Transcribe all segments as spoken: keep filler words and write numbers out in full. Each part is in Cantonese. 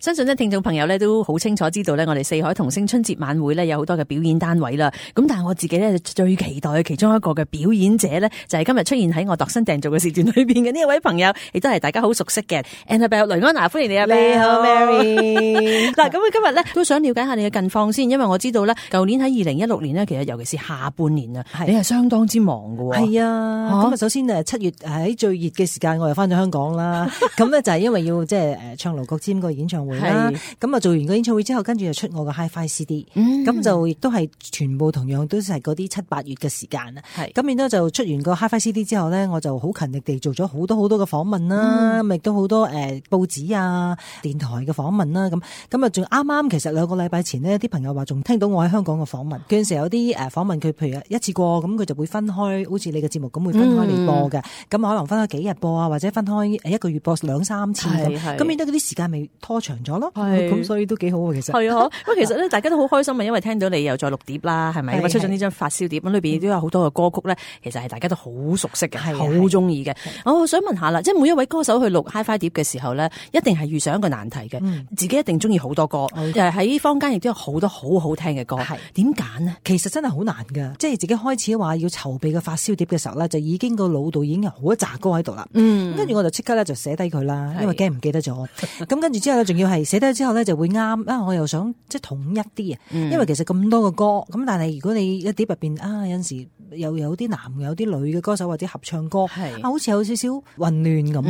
相信咧聽眾朋友咧都好清楚知道咧，我哋四海同聲春節晚會咧有好多嘅表演單位啦。咁但係我自己咧最期待嘅其中一個嘅表演者咧，就係今日出現喺我度身訂造嘅時段裏邊嘅呢一位朋友，亦都係大家好熟悉嘅 Annabelle 雷安娜，歡迎你啊！你好 Mary。嗱，咁今日咧都想了解下你嘅近況先，因為我知道咧舊年喺二零一六年咧，其實尤其是下半年啊，你係相當之忙㗎喎。係啊，咁啊首先誒七月喺最熱嘅時間，我又翻咗香港啦。咁咧就係因為要即係誒唱盧國沾個演唱會啦。咁啊做完個演唱會之後，跟住就出我個 Hi-Fi C D。咁、嗯、就亦都係全部同樣都係嗰啲七八月嘅時間啊。咁然之後就出完個 Hi-Fi C D 之後咧，我就好勤力地做咗好多好多嘅訪問啦，咁亦都好多誒、呃、報紙啊、電台嘅訪問啦。咁咁啊仲啱啱其實兩個禮拜前呢，啲朋友話仲聽到我喺香港嘅訪問。嗰陣時有啲誒訪問佢，譬如一次過咁，佢就會分開，好似你嘅節目咁會分開嚟播嘅。咁、嗯、可能分開幾日播啊，或者分開一個月播兩三次咁。咁變得嗰啲時間咪拖長咗咯。咁所以都幾好啊，其實。係啊，不過其實咧，大家都好開心啊，因為聽到你又再錄碟啦，係咪？出咗呢張發燒碟，咁裏邊亦都有好多嘅歌曲咧，其實係大家都好熟悉嘅，好中意嘅。我想問下啦，即係每一位歌手去錄 Hi-Fi 碟嘅時候咧，一定係遇上一個難題嘅、嗯，自己一定中意好多歌，誒喺坊間亦都有好多好好聽嘅歌，點揀呢？其實真係好難噶，即係自己開始話要籌備個發燒碟嘅時候咧，就已經個腦度已經有好一紮歌喺度啦。嗯，跟住我就即刻咧就寫低佢啦，因為驚唔記得咗。咁跟住之後咧，仲要係寫低之後咧就會啱啊！我又想即係統一啲啊、嗯，因為其實咁多個歌，咁但係如果你一碟入邊啊有陣時又有啲男有啲女嘅歌手或者合唱歌，啊好似有少少混亂咁。咁、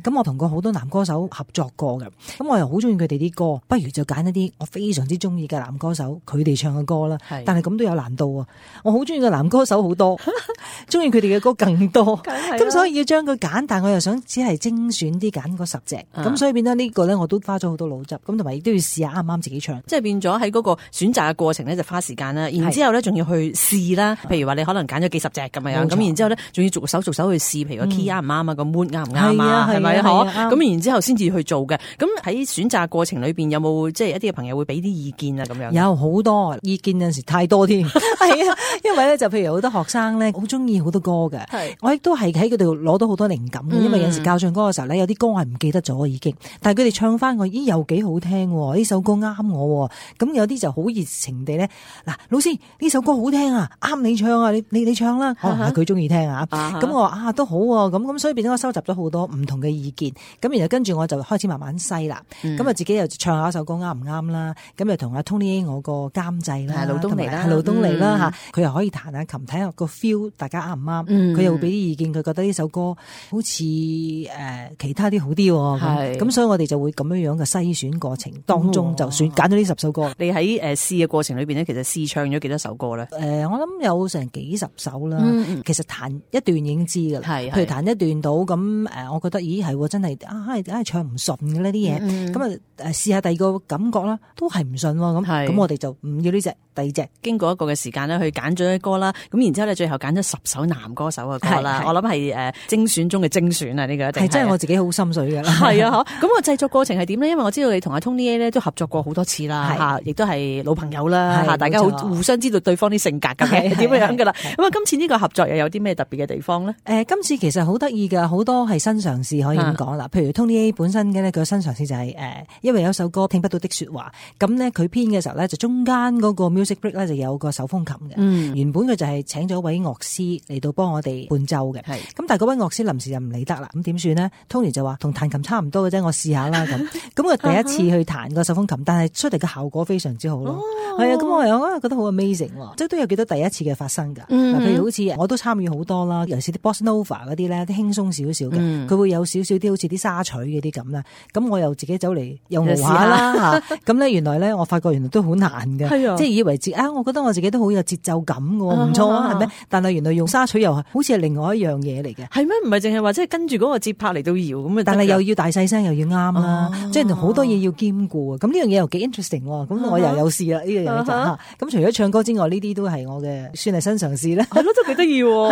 嗯、我同過好多男歌手合作過嘅，咁我又好中意佢哋啲歌，不如就揀一啲我非常之中意嘅男歌手佢哋唱嘅歌啦。但係咁都有難度啊！我好中意嘅男歌手好多，中意佢哋嘅歌更多，咁所以要將佢揀，但我又想只係精選啲揀嗰十隻，咁、嗯、所以變咗呢個咧，我都花咗好多腦汁，咁同埋亦都要試下啱唔啱自己唱，即係變咗喺嗰個選擇嘅過程咧就花時間啦，然之後咧仲要去試啦，譬如話你可能揀咗幾十隻咁樣，咁然之後咧仲要逐手逐手去試，譬如個 key 啱唔啱啊，個 mood 啱唔啱啊，係咪啊？咁然之後先至去做嘅。咁喺選擇過程裏邊有冇即係一啲嘅朋友會俾啲意見啊？咁樣有好多意見，有陣時太多添，係啊，因為咧就譬如好多學生咧好中意好多歌嘅，我亦都係喺佢度攞到好多靈感嘅、嗯，因為有陣時教唱歌嘅時候咧，有啲歌係唔記得咗已經，但係佢哋唱翻我，咦又幾好聽，呢首歌啱我，咁有啲就好熱情地咧，嗱老師呢首歌好聽啊，啱你唱啊，你你你唱啦，可能係佢中意聽啊，咁我話啊都好啊，咁咁所以變咗我收集咗好多唔同嘅意見，咁然後跟住我就開始慢慢篩啦，咁、嗯、啊自己又唱下一首歌啱唔啱啦，咁又同阿 Tony 我個監製啦，老東尼啦，老東尼啦吓，佢、嗯、又可以彈下琴，睇下個 feel 大家啱唔啱，佢、嗯、又會俾啲意見，佢覺得呢首歌好似誒、呃、其他啲好啲，咁咁所以我哋就會咁樣樣嘅篩選過程當中就選揀咗呢十首歌。你喺誒試嘅過程裏邊咧，其實試唱咗幾多首歌咧？誒、呃，我諗有成幾十首啦、嗯。其實彈一段已經知噶啦，譬如彈一段到咁誒，我覺得咦係真係啊，係係唱唔順嘅呢啲嘢，咁啊誒試下第二個感覺啦，都係唔順咁，咁我哋就唔要呢隻，第二隻。經過一個嘅時間咧，去揀咗啲歌啦，咁然之後咧，最後揀咗十首男歌手嘅歌啦。我諗係誒精選中嘅精選啊！呢、這個一定係真係我自己好心水嘅。係啊，咁個製作過程係點咧？因為我知道你同阿 Tony A 咧都合作過好多次啦，吓，亦都係老朋友啦，吓，大家好互相知道對方啲性格嘅點樣噶啦。咁啊，今次呢個合作又有啲咩特別嘅地方咧？誒、呃，今次其實好得意噶，好多係新嘗試可以咁講啦。譬如 Tony A 本身嘅咧，佢新嘗試就係、是、誒、呃，因為有首歌聽不到的說話，咁咧佢編嘅時候咧，就中間嗰個 music break 咧就有個手風琴嘅、嗯。原本佢就係請咗位樂師嚟到幫我哋伴奏嘅。咁但係嗰位樂師臨時就唔理得啦，咁點算呢？ Tony 就話同彈琴差唔多嘅啫，我試下啦咁。咁我第一次去彈個手風琴，但係出嚟嘅效果非常之好咯。係、哦、啊，咁我又覺得好 amazing，即係都有幾多第一次嘅發生噶。嗱、嗯，譬如好似我都參與好多啦，尤其是啲 Bossa Nova 嗰啲咧，啲輕鬆少少嘅，佢、嗯、會有少少啲好似啲沙錘嗰啲咁啦。咁我又自己走嚟又試下啦嚇。咁咧原來咧，我發覺原來都好難嘅，即係以為自啊，我覺得我自己都好有節奏感嘅，唔錯啊，係咪？但係原來用沙錘又係好似係另外一樣嘢嚟嘅。係咩？唔係淨係話即係跟住嗰個節拍嚟到搖咁啊？但係又要大細聲又要啱啦，即係好多嘢要兼顧啊！咁呢樣嘢又幾 interesting 喎。咁我又有試啦呢樣嘢就嚇。咁除咗唱歌之外，呢啲都係我嘅算係新嘗試咧。係咯，都幾得意喎。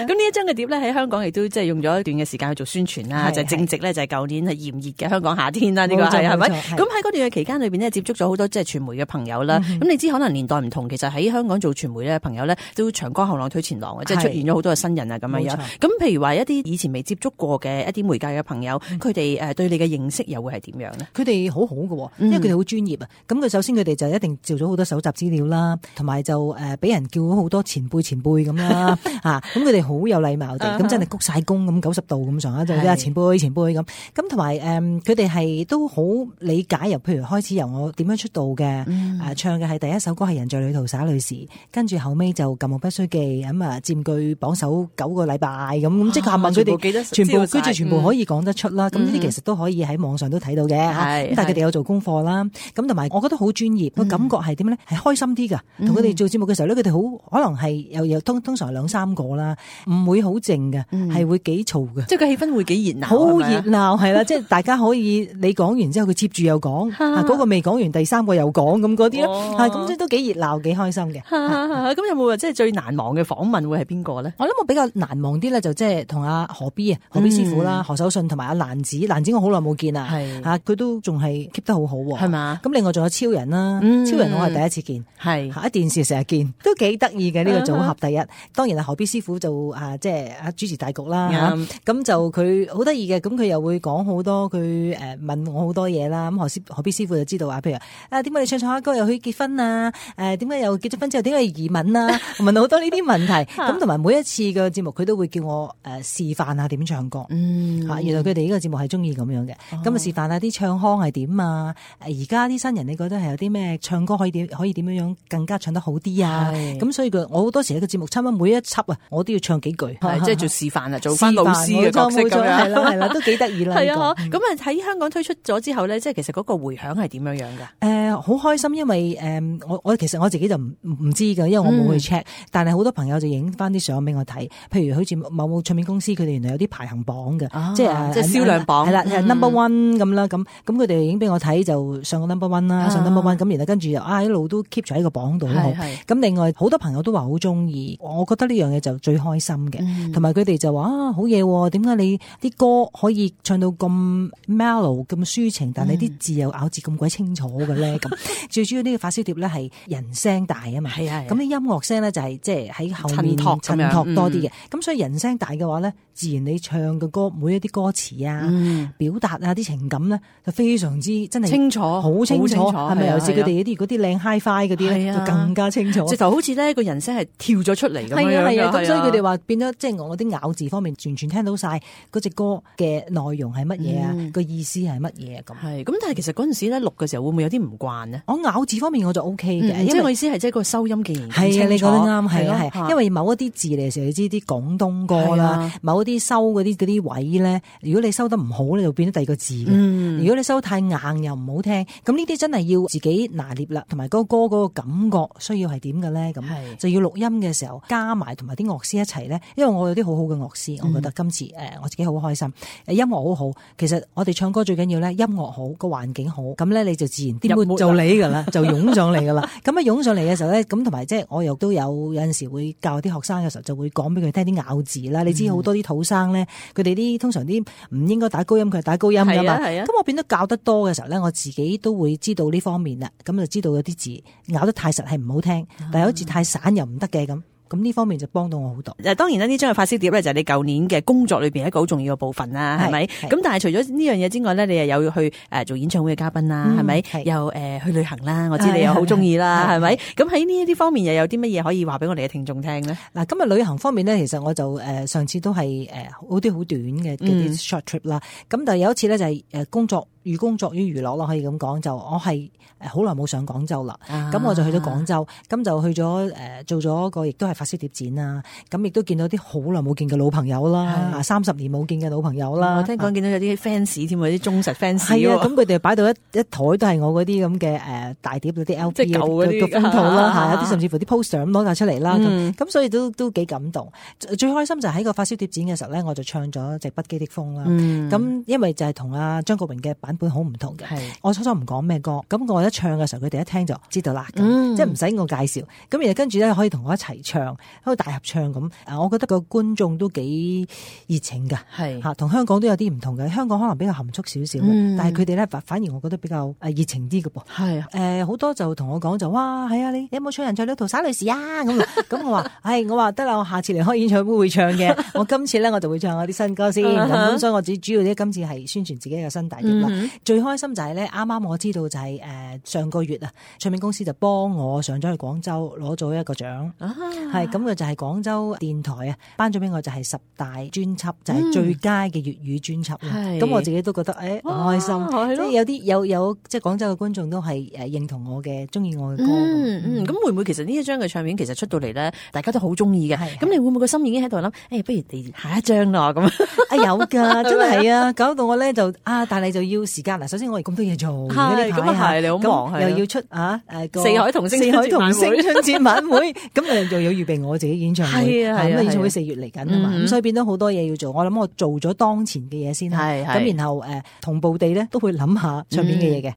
咁呢一張嘅碟咧喺香港亦都即係用咗一段嘅時間去做宣傳啦，就係正值咧就係舊年係炎熱嘅香港夏天啦，呢個係係咪？咁喺嗰段嘅期間裏邊咧接觸咗好多即係傳媒嘅朋友啦。咁你知可能年代唔同，其實喺香港做傳媒咧，朋友咧都長江後浪推前浪嘅，即係出現咗好多嘅新人啊咁樣樣。咁譬如話一啲以前未接觸過嘅一啲媒介嘅朋友，佢哋誒對你嘅認識又會係點樣咧？佢哋好好嘅，因為佢哋好專業啊。咁、嗯、佢首先佢哋就一定做咗好多搜集資料啦，同埋就誒俾人叫咗好多前輩前輩咁啦嚇。咁佢哋好有禮貌地，咁真係鞠晒躬咁九十度咁上下，就係前輩前輩咁。咁同埋誒佢哋係都好理解，由譬如開始由我點樣出道嘅、嗯啊，唱嘅係第一首歌係人在旅途灑淚時，跟住後尾就舊夢不須記咁啊，佔據榜首九個禮拜咁，咁即刻問佢哋全部，跟住全部可以講得出啦。咁呢啲其實都可以喺網上都睇到嘅，咁但係佢哋有做功課啦。咁同埋我覺得好專業，個、嗯、感覺係點咧？係開心啲噶。同佢哋做節目嘅時候咧，佢哋好可能係又又通通常兩三個啦，唔會好靜嘅，係、嗯、會幾嘈嘅。即係個氣氛會幾熱鬧，好熱鬧係啦。即係大家可以你講完之後，佢接住又講，嗰、嗰個未講完，第三個又講咁嗰啲咯。係咁即係都幾熱鬧，幾開心嘅。咁有冇話即係最難忘嘅訪問會係邊個咧？我諗我比較難忘啲咧，就即係同阿何 B 啊，何 B 師傅啦，何守信同埋阿蘭子，蘭子我好耐冇見啦，吓佢都仲係 keep 得好好，係嘛？咁另外仲有超人啦、嗯，超人我係第一次見，係喺電視成日見，都幾得意嘅呢個組合。第一，當然係何 B 師傅就啊，即係啊主持大局啦，咁、嗯、就佢好得意嘅，咁佢又會講好多，佢誒問我好多嘢啦。咁何師何 B 師傅就知道啊，譬如啊點解你唱唱下歌又去結婚啊？誒點解又結咗婚之後點解移民啊？問好多呢啲問題。咁同埋每一次嘅節目佢都會叫我誒示範下點唱歌。嗯，原來佢哋呢個節目係中意咁樣嘅。咁、哦、啊示範下啲唱腔係點啊？而家啲新人你覺得係有啲咩唱歌可以點可以點樣樣更加唱得好啲啊？咁所以佢我好多時喺個節目差唔多每一輯啊，我都要唱幾句，係即係做示範啊，做翻老師嘅角色咁樣，係啦係啦，都幾得意啦。係啊，咁啊喺香港推出咗之後咧，即係其實嗰個回響係點樣樣㗎？誒、呃，好開心，因為誒、呃、我我其實我自己就唔唔知㗎，因為我冇去 check，、嗯、但係好多朋友就影翻啲相俾我睇，譬如好似某某唱片公司佢哋原來有啲排行榜嘅、啊，即係即係銷量榜係啦，係 number one 咁啦，咁咁佢哋影俾我睇就上個 number one 啦、啊，上 number one 咁，然後跟住啊一路都 keep 住喺個榜度好。咁另外好多朋友都話好中意，我覺得呢樣嘢就最開心嘅，同埋佢哋就話啊好嘢，點解你啲歌可以唱到咁 mellow 咁抒情，但係啲字又咬字咁鬼清楚嘅咧？咁最主要呢個發燒碟咧係人聲大啊嘛，咁啲音樂聲咧就係即係喺後面襯托多啲嘅，咁、嗯、所以人聲大嘅話咧，自然你唱嘅歌每一啲歌詞啊、嗯、表達啊啲情感咧就非常之真係清楚，好清楚，係咪？尤其佢哋啲嗰啲靚 hi-fi 嗰啲咧就更加清楚，直頭好似咧個人聲係跳咗出嚟咁樣樣。係啊，咁所以佢哋話變咗即係我啲咬字方面完全聽到晒嗰隻歌嘅內容係乜嘢啊，個、嗯、意思係乜嘢咁。係咁，但係其實嗰陣時咧錄嘅時候會唔會有啲唔慣呢？我咬字方面我就 O K 嘅，即係我意思係即係個收音既然係啊，你講得啱，係啊係，因為某一啲字嚟嘅時候，你知啲廣東歌啦，某一啲收嗰啲嗰啲位咧，如果你收得唔好咧，就變咗第二個字嘅、嗯。如果你收得太硬又唔好聽，咁呢啲真係要自己拿捏啦，同埋嗰個歌嗰個感覺需要係點嘅咧，咁就要錄音嘅時候加埋同埋啲樂師一齊咧，因為我有啲好好嘅樂師，我覺得今次誒、呃、我自己好開心，誒音樂好好。其實我哋唱歌最緊要咧，音樂好，個環境好，咁咧你就自然啲 mood 就你噶啦，就湧上嚟噶啦。咁啊湧上嚟嘅時候咧，咁同埋即係我又都有有陣時會教啲學生嘅時候，就會講俾佢聽啲咬字啦。你知好多啲土生咧，佢哋啲通常啲唔應該打高音，佢係打高音噶嘛。咁、啊、我變得教得多嘅時候咧，我自己都會知道呢方面啦。咁就知道有啲字咬得太實係唔好聽，但係好似太散又唔得嘅咁。咁呢方面就幫到我好多。誒，當然啦，呢張嘅發燒碟咧就係你舊年嘅工作裏邊一個好重要嘅部分啦，係咪？咁但係除咗呢樣嘢之外咧，你又有去誒做演唱會嘅嘉賓啦，係、嗯、咪？又誒、呃、去旅行啦，我知你又好中意啦，係咪？咁喺呢一啲方面又有啲乜嘢可以話俾我哋嘅聽眾聽咧？嗱，今日旅行方面咧，其實我就誒、呃、上次都係誒好啲好短嘅啲 short trip 啦。咁、嗯、但係有一次咧就係誒工作。寓工作於娛樂咯，可以咁講。就我係誒好耐冇上廣州啦，咁、啊、我就去咗廣州，咁就去咗誒、呃、做咗個亦都係發燒碟展啦。咁亦都見到啲好耐冇見嘅老朋友啦，三十年冇見嘅老朋友啦。我聽講見到有啲 fans 添，有啲忠實 fans。係啊，咁佢哋擺到一一台都係我嗰啲咁嘅誒大碟嗰啲 L P 嘅封套啦，嚇有啲甚至乎啲 poster 咁攞晒出嚟啦。咁咁、嗯、所以都都幾感動。最開心就喺個發燒碟展嘅時候咧，我就唱咗隻不羈的風啦。咁、嗯、因為就係同阿張國榮嘅版版本好唔同嘅。我初初唔講咩歌，咁我一唱嘅時候，佢哋一聽就知道啦，嗯、即係唔使我介紹。咁然後跟住咧可以同我一齊唱，喺度大合唱咁。啊，我覺得個觀眾都幾熱情㗎，係嚇，同香港都有啲唔同嘅。香港可能比較含蓄少少，嗯、但係佢哋咧反而我覺得比較誒熱情啲嘅噃。係誒好多就同我講就哇係啊，你你有冇唱人在旅途灑淚時啊？咁咁我話係，我話得啦，我下次嚟開演唱會會唱嘅。我今次咧我就會唱我啲新歌先。咁、uh-huh. 所以我主主要咧今次係宣傳自己嘅新大碟啦。Uh-huh. 最開心就係咧，啱啱我知道就係、是、誒、呃、上個月啊，唱片公司就幫我上咗去廣州攞咗一個獎，係咁嘅就係廣州電台啊頒咗俾我就係十大專輯，就係、是、最佳嘅粵語專輯。咁、嗯、我自己都覺得誒好開心，即係有啲有有即係廣州嘅觀眾都係誒認同我嘅，中意我嘅歌。嗯嗯，咁會唔會其實呢一張嘅唱片其實出到嚟咧，大家都好中意嘅？咁你會唔會個心已經喺度諗？誒、欸，不如嚟下一張啦咁啊？有噶，真係啊，搞到我咧就啊，但係就要時間啦。首先我哋咁多嘢做，係咁啊係，你好忙，又要出啊誒四海同聲四海同聲春節晚會，咁誒又要預備我自己演唱會，係啊係啊，演唱會四月嚟緊啊嘛，咁、嗯、所以變咗好多嘢要做。我諗我做咗當前嘅嘢先，係咁然後誒、呃、同步地咧都會諗下唱片嘅嘢嘅。